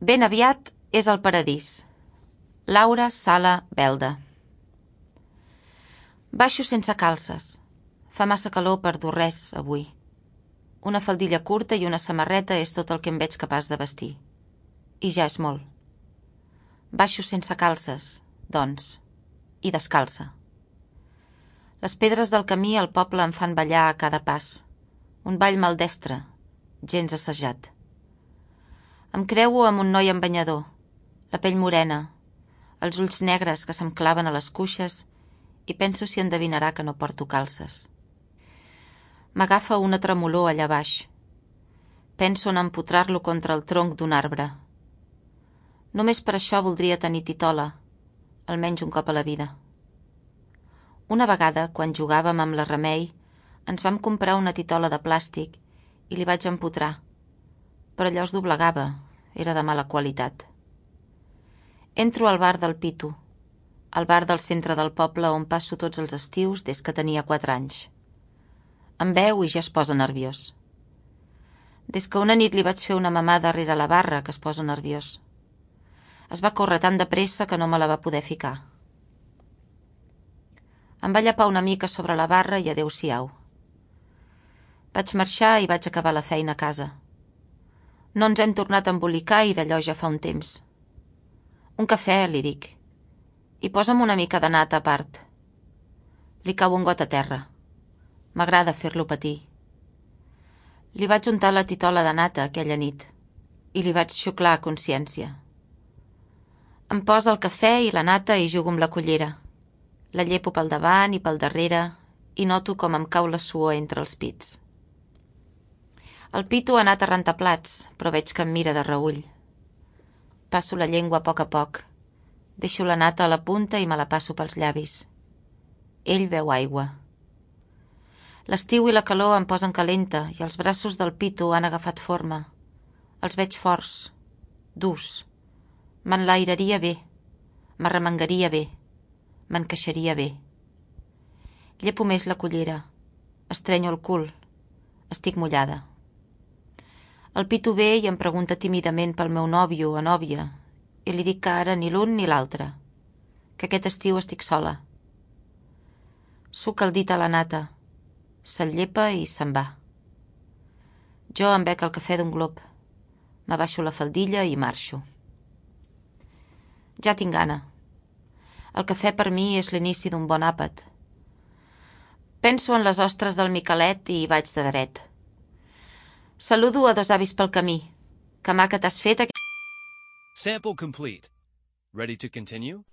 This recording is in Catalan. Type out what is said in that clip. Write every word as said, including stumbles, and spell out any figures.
Ben aviat és el paradís. Laura Sala Belda. Baixo sense calces. Fa massa calor per dur res avui. Una faldilla curta i una samarreta és tot el que em veig capaç de vestir. I ja és molt. Baixo sense calces, doncs, i descalça. Les pedres del camí al poble em fan ballar a cada pas. Un ball maldestre, gens assajat. Em creuo amb un noi amb banyador, la pell morena, els ulls negres que se'm claven a les cuixes i penso si endevinarà que no porto calces. M'agafa una tremolor allà baix. Penso en empotrar-lo contra el tronc d'un arbre. Només per això voldria tenir titola, almenys un cop a la vida. Una vegada, quan jugàvem amb la Remei, ens vam comprar una titola de plàstic i li vaig empotrar, però allò es doblegava, era de mala qualitat. Entro al bar del Pitu, al bar del centre del poble on passo tots els estius des que tenia quatre anys. Em veu i ja es posa nerviós. Des que una nit li vaig fer una mamada darrere la barra que es posa nerviós. Es va córrer tan de pressa que no me la va poder ficar. Em va llapar una mica sobre la barra i adeu-siau. Vaig marxar i vaig acabar la feina a casa. No ens hem tornat a embolicar i d'allò ja fa un temps. Un cafè, li dic. I posa'm una mica de nata a part. Li cau un got a terra. M'agrada fer-lo patir. Li vaig untar la titola de nata aquella nit i li vaig xuclar a consciència. Em posa el cafè i la nata i jugo amb la cullera. La llepo pel davant i pel darrere i noto com em cau la suor entre els pits. El Pitu ha anat a rentar plats, però veig que em mira de reüll. Passo la llengua a poc a poc. Deixo la nata a la punta i me la passo pels llavis. Ell beu aigua. L'estiu i la calor em posen calenta i els braços del Pitu han agafat forma. Els veig forts, durs. M'enlairaria bé, m'arremengaria bé, m'encaixaria bé. Llepo més la cullera, estrenyo el cul, estic mullada. El Pitu ve i em pregunta tímidament pel meu nòvio o nòvia i li dic que ara ni l'un ni l'altre, que aquest estiu estic sola. Suc el dit a la nata, se'l llepa i se'n va. Jo em bec el cafè d'un glop, m'abaixo la faldilla i marxo. Ja tinc gana. El cafè per mi és l'inici d'un bon àpat. Penso en les ostres del Miquelet i vaig de dret. Saludo a dos avis pel camí. Que maca t'has fet aquest... Sample complete. Ready to continue?